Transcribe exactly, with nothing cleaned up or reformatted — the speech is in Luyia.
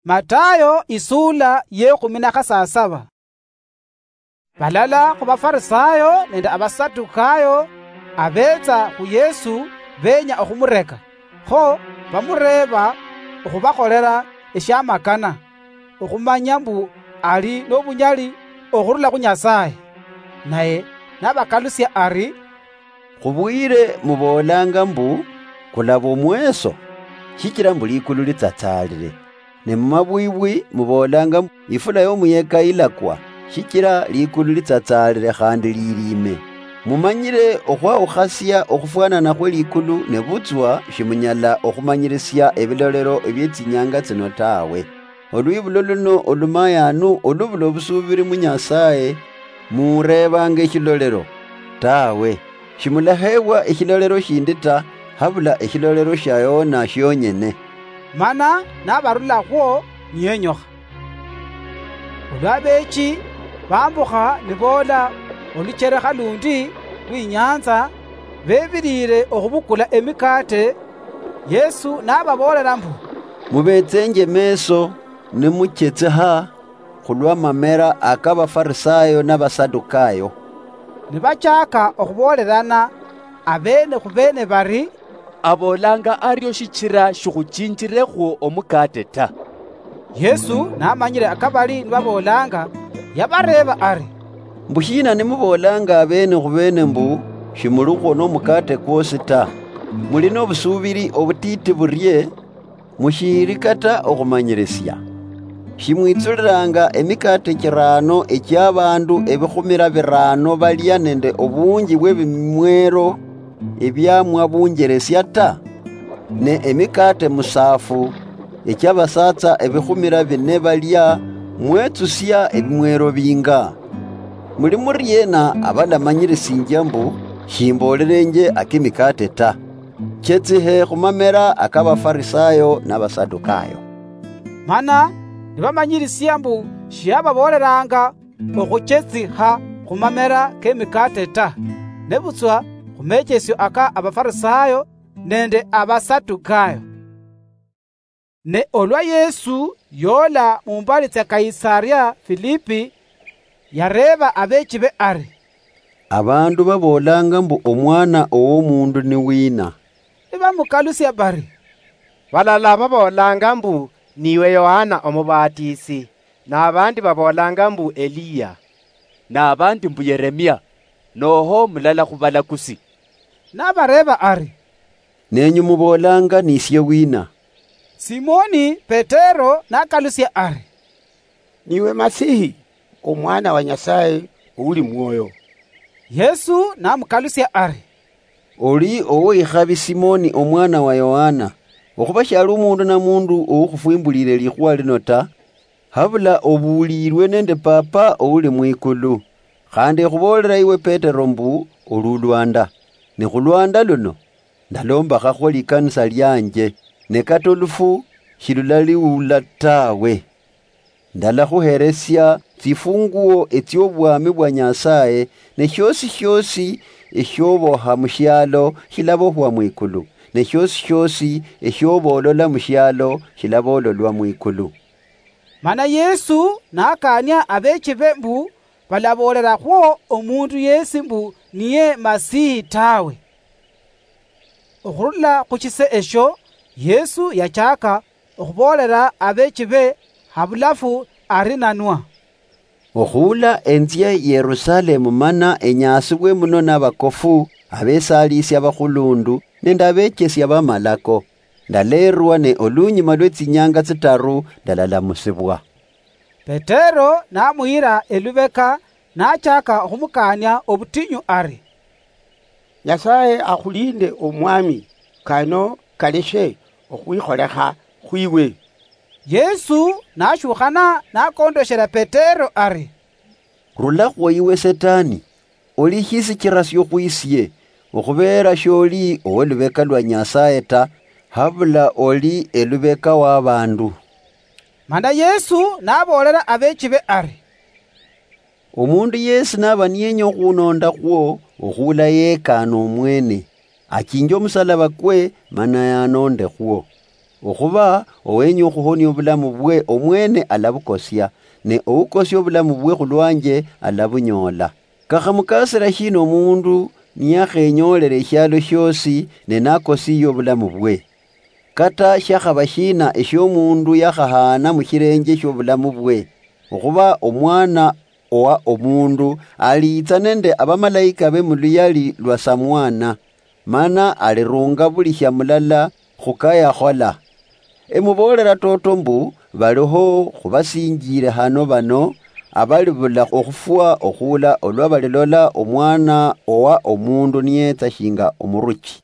Matayo isuula yekhumi na khasasaba. Balala khu Bafarisayo nende Abasadukayo abetsa khu Yesu benya okhumureka, kho bamureeba okhubakholela eshiamakana, okhumanya mbu ali nobunyali okhurula khu Nyasaye. Naye nabakalusia ari, "Khubwire muboolanga mbu, kulaba omweso, shichira mbu likulu litsatsalire. Ne mumabwibwi muboolanga mbu, ifula yomuyeka ilakwa, shichira likulu litsatsalire khandi lilime. Mumanyire okhwawukhasia okhufwanana khwe likulu, nebutswa shimunyala okhumanyirisia ebilolero ebietsinyanga tsino tawe. Olwibulo luno olumayanu olubula obusubiri mu Nyasaye, murebanga eshilolero? Tawe, shimulaheebwa eshilolero shindi ta, habula eshilolero shia Yona shionyene." Mana nabarulakhwo niyenyokha. Olwa bechi bambukha niboola olucherekha lundi lwinyanza, bebirire okhubukula emikate, Yesu nababoolera mbu, "Mubetsenje meso nimuchetseha khulwa mamera aka Bafarisayo na Basadukayo." Nibachaka okhuboolerana abeene khu beene bari, "Aboolanga ario shichira shikhuchinjirekhwo omukate ta." Yesu namanyire akabali nibaboolanga, yabareeba ari, "Mbushina nimuboolanga abeene khu beene mbu, shimulikhwo nomukate kwosi ta? Muli nobusubiri obutiti burie? Mushiiri kata okhumanyirisia? Shimwitsulilanga emikate chirano echiabandu ebikhumira birano balia nende obunji bwebimwero ebiamwa bunjeresia ta? Ne emikate musafu echiabasatsa ebikhumira bine balia mwetsusia ebimwero binga? Muli muriena abalamanyirisinjia mbu, shimboolerenje akemikate ta? Chetsihe khumamera aka Bafarisayo na Basadukayo." Mana nibamanyirisia mbu shiababoolelanga okhuchetsikha khumamera kemikate ta, nebutswa khumechesio aka Abafarisayo nende Abasadukayo. Ne olwa Yesu yoola mumbali tsia Kaisaria Filipi, yareeba abeechibe ari, "Abandu baboolanga mbu Omwana ow'Omundu ni wina?" Nibamukalusia bari, "Balala baboolanga mbu niwe Yohana Omubatisi, n'abandi baboolanga mbu Eliya, n'abandi mbu Yeremia, noho mulala khubalakusi." Nabareeba ari, "Nenyu muboolanga nisie wina?" Simoni Petero nakalusia ari, "Niwe Masihi, Omwana wa Nyasaye ouli mwoyo." Yesu namukalusia ari, "Oli owikhabi Simoni omwana wa Yohana, okhuba shiali omundu na mundu oukhufwimbulile likhuwa lino ta, habula obuulilwe nende Papa ouli mwikulu. Khandi ekhuboolela iwe Petero mbu, oli olwanda, ne khulwanda luno ndalombakhakho likanisa lianje, ne kata olufu shilulaliula tawe. Ndalakhuheresia tsifunguo etsiobwami bwa Nyasaye, ne shiosi shiosi eshioboha mushialo shilabohwa mwikulu, ne shiosi shiosi eshiobolola mushialo shilabololwa mwikulu." Mana Yesu nakaania abeechibe mbu balaboolerakhwo omundu yesi mbu niye Masihi tawe. Okhurula khushise esho, Yesu yachaka okhuboolela abeechibe habulafu ari nanwa, "Okhuula enzie Yerusalemu mana enyaasibwe muno nabakofu, abesaaliisi abakhulundu, nende abechesi abamalako. Ndaleerwa ne olunyuma lwetsinyanga tsitaru ndalalamusibwa." Petero namuyira elubeka, nachaka okhumukaania obutinyu ari, "Nyasaye akhulinde Omwami, kano kaleshe okhwikholekha khwiwe." Yesu nashukhana nakondoshera Petero ari, "Rulakhwo iwe Setani, oli shisichirasio khwisie, okhubeera sholi owolubeka lwa Nyasaye ta, habula oli elubeka wabandu." Mana Yesu naboolera abeechibe ari, "Omundu yesi naba niyenya okhunondakhwo, okhuula yekaane omwene, achinje omusalaba kwe, mana yanondekhwo." Okhuba owenya okhuhonia obulamu bwe omwene alabukosia, ne oukosia obulamu bwe khulwanje alabunyoola. Kakhamukasira shina omundu niyakhenyoolera eshialo shiosi ne nakosiiye obulamu bwe? Kata shiakhaba shina eshiomundu yakhahaana mushirenje shiobulamu bwe? Okhuba Omwana owa Omundu aliitsa nende abamalaika be muluyali lwa Samwana, mana alirunga buli shia mulala khukayakhola. Emuboolera toto mbu, baliho khubasinjire hano bano abalibula okhufwa okhuula olwa balilola Omwana owa Omundu niyetsa shinga omuruchi.